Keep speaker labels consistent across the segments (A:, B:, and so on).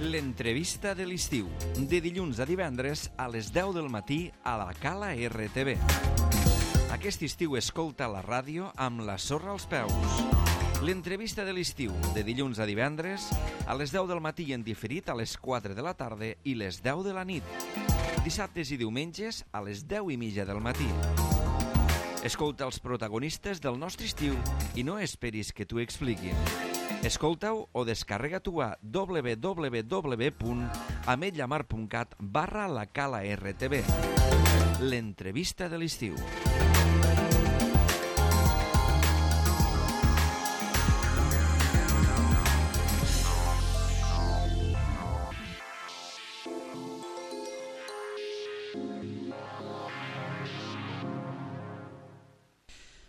A: L'entrevista de l'estiu, de dilluns a divendres a les 10 del matí a la Cala RTV. Aquest estiu escolta la ràdio amb la sorra als peus. L'entrevista de l'estiu, de dilluns a divendres a les 10 del matí en diferit a les 4 de la tarda i les 10 de la nit. Dissabtes i diumenges a les 10:30 del matí. Escolta els protagonistes del nostre estiu i no esperis que t'ho expliquin. Escolta-ho o descarrega-t'ho a www.ametlllamar.cat/la Cala RTV. L'entrevista de l'estiu.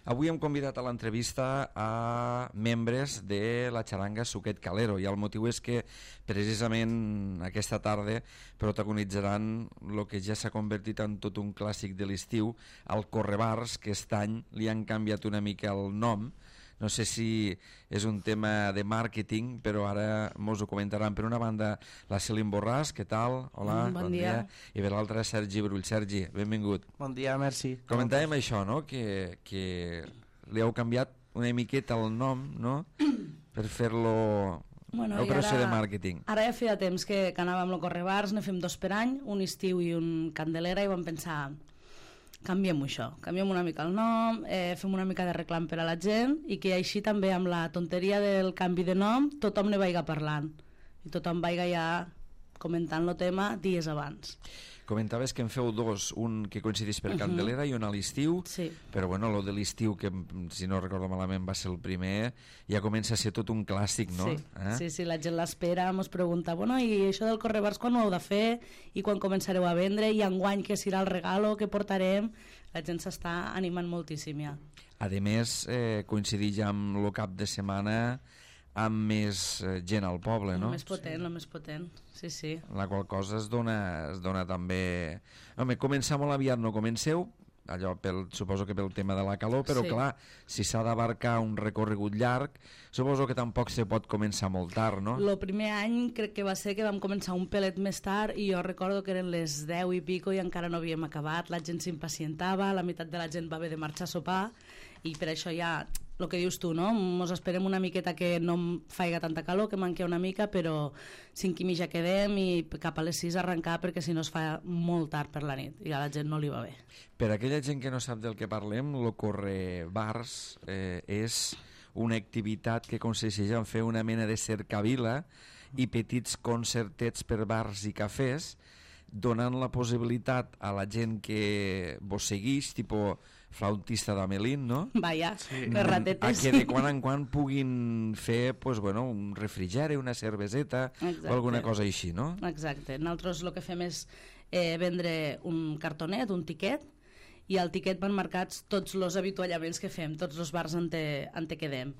A: Avui hem convidat a l'entrevista a membres de la xaranga Suquet Calero i el motiu és que precisament aquesta tarda protagonitzaran el que ja s'ha convertit en tot un clàssic de l'estiu, el Correbars, que aquest any li han canviat una mica el nom. No sé si és un tema de màrqueting, però ara mos ho comentaran. Per una banda, la Celine Borràs, què tal? Hola,
B: bon dia.
A: I per l'altra, Sergi Brull. Sergi, benvingut.
C: Bon dia, merci.
A: Comentàvem això, no?, que li heu canviat una miqueta el nom, no?, per fer-lo operació de màrqueting.
B: Ara ja feia temps que anàvem a Correbars, ne fem 2 per any, un estiu i un Candelera, i vam pensar, canviem això, canviem una mica el nom, fem una mica de reclam per a la gent i que així també amb la tonteria del canvi de nom tothom ne vaiga parlant i tothom vaiga ja comentant el tema dies abans.
A: Comentaves que en feu 2, un que coincideix per Candelera i un a l'estiu,
B: sí.
A: Però bueno, lo de l'estiu, que si no recordo malament va ser el primer, ja comença a ser tot un clàssic, no?
B: Sí, la gent l'espera, ens pregunta, bueno, i això del Correbars quan ho heu de fer i quan començareu a vendre i enguany què serà el regalo, què portarem? La gent s'està animant moltíssim ja.
A: A més, coincideix amb el cap de setmana amb més gent al poble, no?
B: El més potent, sí.
A: La qual cosa es dona també... Home, començar molt aviat no comenceu, allò suposo que pel tema de la calor, però sí. Clar, si s'ha d'abarcar un recorregut llarg, suposo que tampoc se pot començar molt tard, no?
B: El primer any crec que va ser que vam començar un pelet més tard i jo recordo que eren les 10 i pico i encara no havíem acabat, la gent s'impacientava, la meitat de la gent va haver de marxar a sopar i per això ja... El que dius tu, no? Mos esperem una miqueta que no faiga tanta calor, que manqui una mica, però 5 i mitja quedem i cap a les 6 arrencar perquè si no es fa molt tard per la nit i a la gent no li va bé.
A: Per aquella gent que no sap del que parlem, el Correbars és una activitat que consisteix en fer una mena de cercavila i petits concertets per bars i cafès, donant la possibilitat a la gent que vos segueix, tipus flautista d'Amelín, no?
B: Vaja, les ratetes.
A: Que de quan en quan puguin fer pues, bueno, un refrigeri, una cerveseta. Exacte. O alguna cosa així, no?
B: Exacte. Nosaltres el que fem és vendre un cartonet, un tiquet, i al tiquet van marcats tots els avituallaments que fem, tots els bars on te quedem.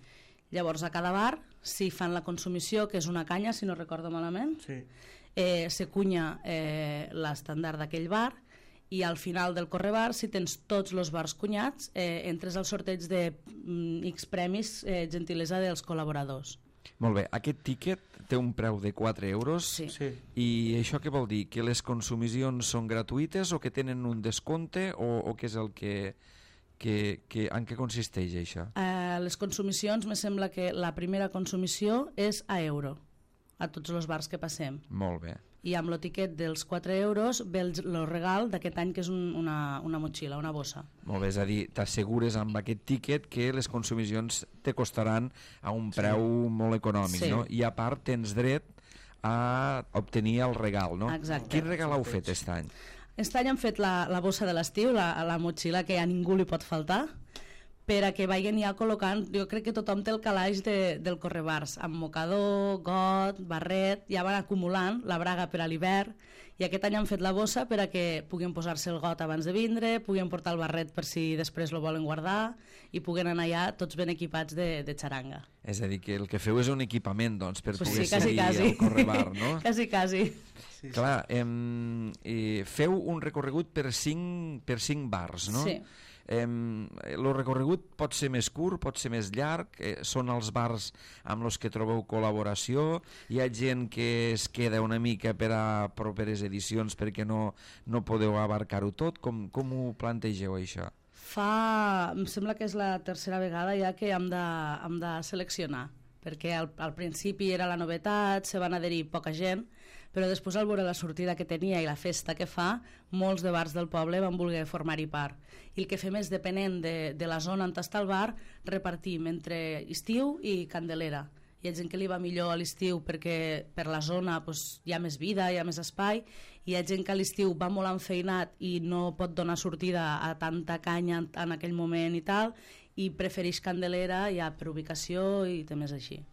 B: Llavors a cada bar si fan la consumició, que és una canya si no recordo malament,
C: sí.
B: Se cunya l'estàndard d'aquell bar i al final del Correbar, si tens tots els bars cunyats, entres al sorteig de X premis, gentilesa dels col·laboradors.
A: Molt bé, aquest tiquet té un preu de 4 euros.
B: Sí.
A: I això què vol dir? Que les consumicions són gratuïtes o que tenen un descompte o què és el que en què consisteix això?
B: Les consumicions, me sembla que la primera consumició és a euro a tots els bars que passem.
A: Molt bé.
B: I amb el tiquet dels 4 euros ve el regal d'aquest any, que és una motxilla, una bossa.
A: Molt bé, és a dir, t'assegures amb aquest tiquet que les consumicions te costaran a un preu molt econòmic,
B: sí.
A: No? I a part tens dret a obtenir el regal, no?
B: Exacte.
A: Quin regal heu fet aquest any?
B: Aquest any hem fet la bossa de l'estiu, la motxilla que a ningú li pot faltar, per a que vagin ja col·locant, jo crec que tothom té el calaix del Correbars, amb mocador, got, barret, ja van acumulant la braga per a l'hivern, i aquest any han fet la bossa per a que puguin posar-se el got abans de vindre, puguin portar el barret per si després lo volen guardar, i puguen anar ja tots ben equipats de xaranga.
A: És a dir, que el que feu és un equipament, doncs, per
B: pues
A: poder
B: sí,
A: seguir el Correbar, no?
B: Quasi.
C: Sí.
A: Clar, feu un recorregut per 5 bars, no?
B: Sí.
A: El recorregut pot ser més curt, pot ser més llarg, són els bars amb els que trobeu col·laboració, hi ha gent que es queda una mica per a properes edicions perquè no podeu abarcar-ho tot, com ho plantegeu això?
B: Em sembla que és la tercera vegada ja que hem de seleccionar, perquè al principi era la novetat, se van adherir poca gent, però després al veure la sortida que tenia i la festa que fa, molts de bars del poble van voler formar-hi part. I el que fem és, depenent de la zona on està el bar, repartim entre estiu i Candelera. Hi ha gent que li va millor a l'estiu perquè per la zona hi ha més vida, hi ha més espai, hi ha gent que a l'estiu va molt enfeinat i no pot donar sortida a tanta canya en aquell moment i tal, i prefereix Candelera ja per ubicació i temes així.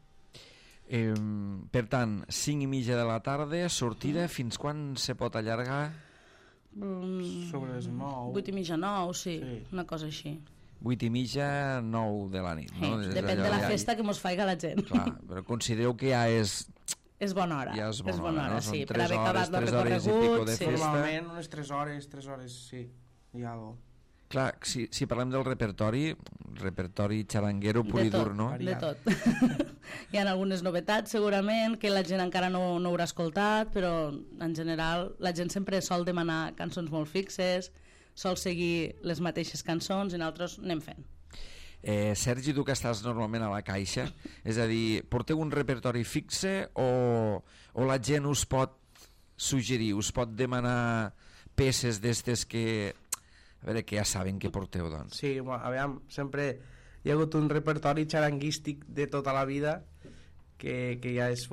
A: Per tant, 5:30 de la tarda, sortida, fins quan se pot allargar?
C: Sobre les 9.
B: 8:30, 9, sí, una cosa així.
A: 8:30, 9 de la nit, no?
B: Depèn de la festa que mos faiga la gent.
A: Clar, però considereu que ja és...
B: És bona hora.
A: Ja és bona hora, no?
B: Sí,
A: Són
B: per haver acabat el
A: 3 hores i pico de festa.
C: Normalment unes 3 hores, sí, hi ha algo.
A: Clar, si parlem del repertori xaranguero pur i dur, no?
B: De tot. Hi ha algunes novetats segurament que la gent encara no haurà escoltat, però en general la gent sempre sol demanar cançons molt fixes, sol seguir les mateixes cançons i nosaltres anem fent.
A: Sergi, tu que estàs normalment a la caixa, és a dir, porteu un repertori fixe o la gent us pot suggerir, us pot demanar peces d'estes que... A veure, que ja saben que porteu, doncs.
C: Sí, aviam, sempre hi ha hagut un repertori xaranguístic de tota la vida que ja és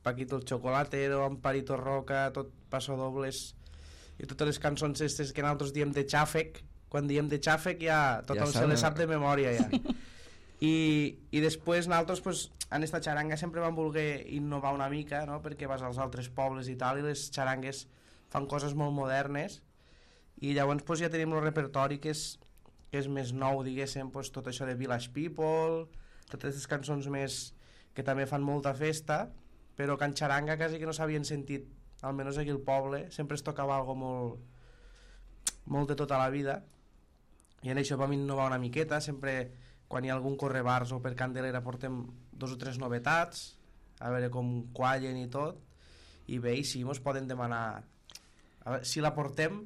C: Paquito el Chocolatero, Amparito Roca, tot Pasodobles i totes les cançons aquestes que nosaltres diem de xàfec. Quan diem de xàfec ja tothom se les sap de memòria ja. I després nosaltres en esta xaranga sempre vam voler innovar una mica, no? Perquè vas als altres pobles i tal i les xarangues fan coses molt modernes i llavors ja tenim el repertori que és més nou, diguéssim, tot això de Village People, totes aquestes cançons més que també fan molta festa, però que en xaranga quasi que no s'havien sentit, almenys aquí al poble, sempre es tocava algo molt de tota la vida, i en això vam innovar una miqueta, sempre quan hi ha algun correbars o per Candelera portem 2 o 3 novetats, a veure com quallen i tot, i bé, i sí, mos poden demanar, a veure, si la portem,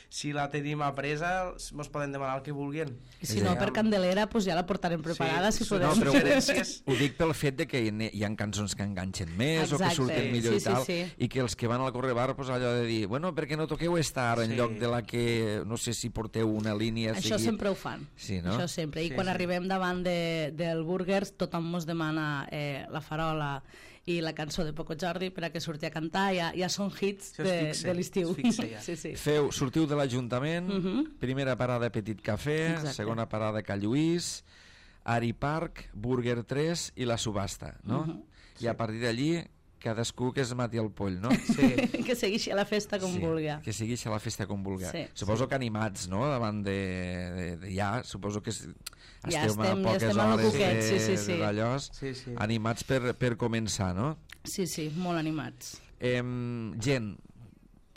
C: si la tenim apresa, mos poden demanar el que vulguin.
B: I si no, per Candelera, ja la portarem preparada, si podem.
A: No, però ho dic pel fet de que hi ha cançons que enganxen més o que surten millor i tal, i que els que van al correbar, allò de dir, bueno, per què no toqueu esta ara en lloc de la que, no sé si porteu una línia...
B: Això sempre ho fan, això sempre. I quan arribem davant del Burgers, tothom mos demana la farola i la cançó de Poco Jordi per a que surti a cantar, ja són hits de l'estiu.
A: Sortiu de l'Ajuntament, primera parada Petit Cafè, segona parada Cal Lluís, Ari Park, Burger 3 i la subhasta, no? I a partir d'allí cadascú que es mati el poll, no?
B: Que segueixi a la festa com vulgui.
A: Que segueixi a la festa com vulgui. Suposo que animats, no? Davant de ja, suposo que esteu a poques hores d'allòs, animats per començar, no?
B: Sí, molt animats.
A: Gent,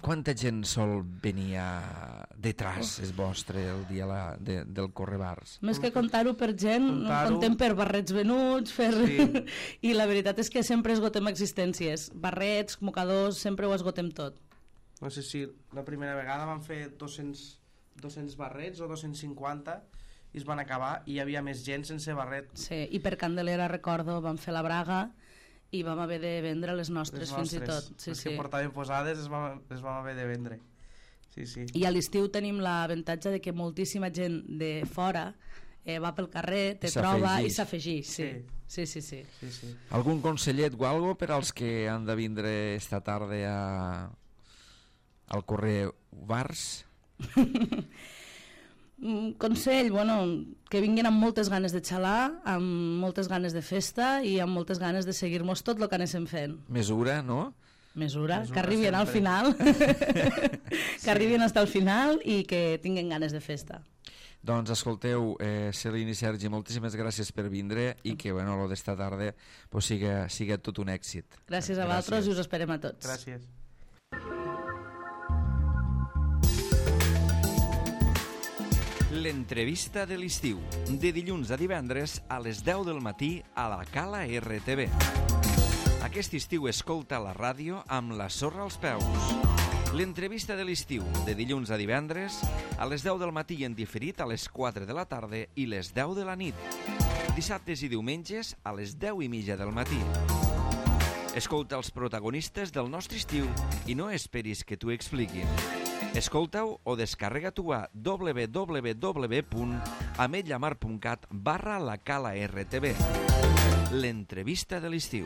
A: quanta gent sol venir detrás és vostre el dia del correbars?
B: Més que comptar-ho per gent, contem per barrets venuts, i la veritat és que sempre esgotem existències. Barrets, mocadors, sempre ho esgotem tot.
C: No sé si la primera vegada vam fer 200 barrets o 250 i es van acabar i hi havia més gent sense barret.
B: Sí, i per Candelera, recordo, vam fer la braga i vam haver de vendre les nostres fins i tot.
C: Les que portaven posades les vam haver de vendre.
B: I a l'estiu tenim l'avantatge de que moltíssima gent de fora va pel carrer, te troba i s'afegeix. Sí.
A: Algun consellet o algo per als que han de vindre esta tarda al Correr Bars?
B: Consell, que vinguin amb moltes ganes de xalar, amb moltes ganes de festa i amb moltes ganes de seguir-nos tot el que anéssim fent.
A: Mesura, no?
B: Mesura, que arribin al final, que arribin fins al final i que tinguin ganes de festa.
A: Doncs escolteu, Celine i Sergi, moltíssimes gràcies per vindre i que lo d'esta tarda siga tot un èxit.
B: Gràcies a vosaltres i us esperem a tots.
C: Gràcies.
A: L'entrevista de l'estiu, de dilluns a divendres a les 10 del matí a la Cala RTV. Aquest estiu escolta la ràdio amb la sorra als peus. L'entrevista de l'estiu, de dilluns a divendres a les 10 del matí i en diferit a les 4 de la tarda i les 10 de la nit. Dissabtes i diumenges a les 10:30 del matí. Escolta els protagonistes del nostre estiu i no esperis que t'ho expliquin. Escolta-ho o descarrega-t'ho a www.ametlllamar.cat/la Cala RTV. L'entrevista de l'estiu.